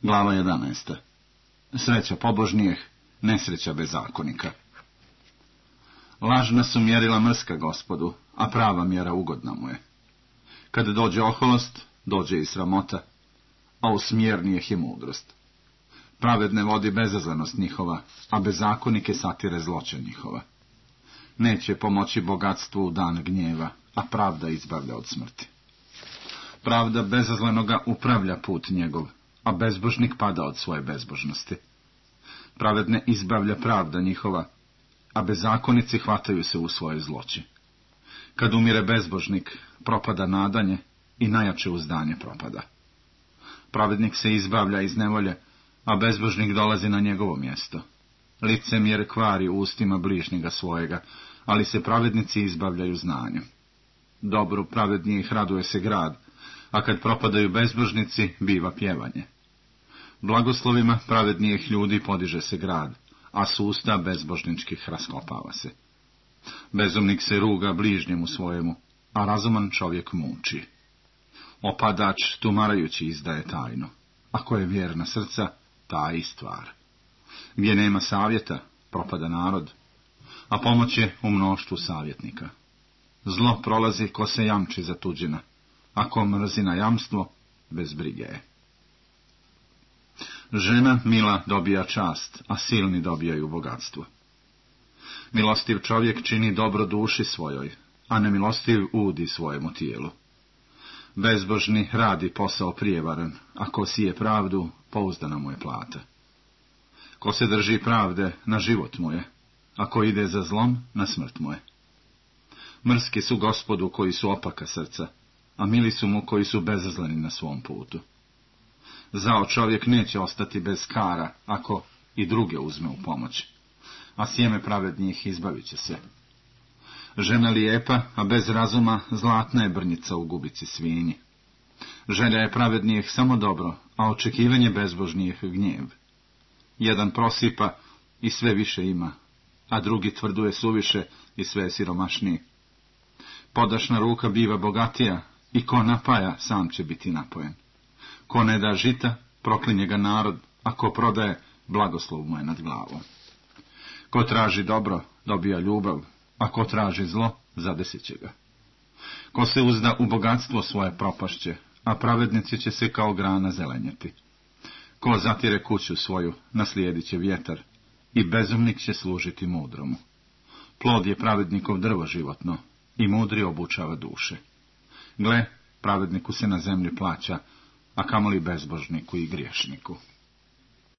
Glava 11. Sreća pobožnijeh, nesreća bezakonika. Lažna su mjerila mrska Gospodu, a prava mjera ugodna mu je. Kad dođe oholost, dođe i sramota, a usmjernijeh je mudrost. Pravedne vodi bezazlenost njihova, a bezakonike satire zloće njihova. Neće pomoći bogatstvu u dan gnjeva, a pravda izbavlja od smrti. Pravda bezazlenoga upravlja put njegov, a bezbožnik pada od svoje bezbožnosti. Pravedne izbavlja pravda njihova, a bezakonici hvataju se u svoje zloći. Kad umire bezbožnik, propada nadanje i najjače uzdanje propada. Pravednik se izbavlja iz nevolje, a bezbožnik dolazi na njegovo mjesto. Licemjer kvari u ustima bližnjega svojega, ali se pravednici izbavljaju znanjem. Dobru pravednijih raduje se grad, a kad propadaju bezbožnici, biva pjevanje. Blagoslovima pravednijih ljudi podiže se grad, a s usta bezbožničkih raskopava se. Bezumnik se ruga bližnjemu svojemu, a razuman čovjek muči. Opadač tumarajući izdaje tajnu, ako je vjerna srca, ta i stvar. Gdje nema savjeta, propada narod, a pomoć je u mnoštvu savjetnika. Zlo prolazi ko se jamči za tuđina, a ko mrzi na jamstvo, bez brige je. Žena mila dobija čast, a silni dobijaju bogatstvo. Milostiv čovjek čini dobro duši svojoj, a nemilostiv udi svojemu tijelu. Bezbožni radi posao prijevaran, a ko sije pravdu, pouzdana mu je plata. Ko se drži pravde, na život mu je, a ko ide za zlom, na smrt mu je. Mrski su Gospodu koji su opaka srca, a mili su mu koji su bezazleni na svom putu. Zao čovjek neće ostati bez kara, ako i druge uzme u pomoć, a sjeme pravednjih izbavit će se. Žena lijepa, a bez razuma zlatna je brnjica u gubici svinji. Želja je pravednijih samo dobro, a očekivanje bezbožnijih gnjev. Jedan prosipa i sve više ima, a drugi tvrduje suviše i sve je siromašniji. Podašna ruka biva bogatija i ko napaja, sam će biti napojen. Ko ne da žita, proklinje ga narod, a ko prodaje, blagoslov mu je nad glavom. Ko traži dobro, dobija ljubav, a ko traži zlo, zadesit će ga. Ko se uzda u bogatstvo svoje propašće, a pravednici će se kao grana zelenjeti. Ko zatire kuću svoju, naslijedit će vjetar, i bezumnik će služiti mudromu. Plod je pravednikov drvo životno, i mudri obučava duše. Gle, pravedniku se na zemlji plaća, a kamoli bezbožniku i griješniku.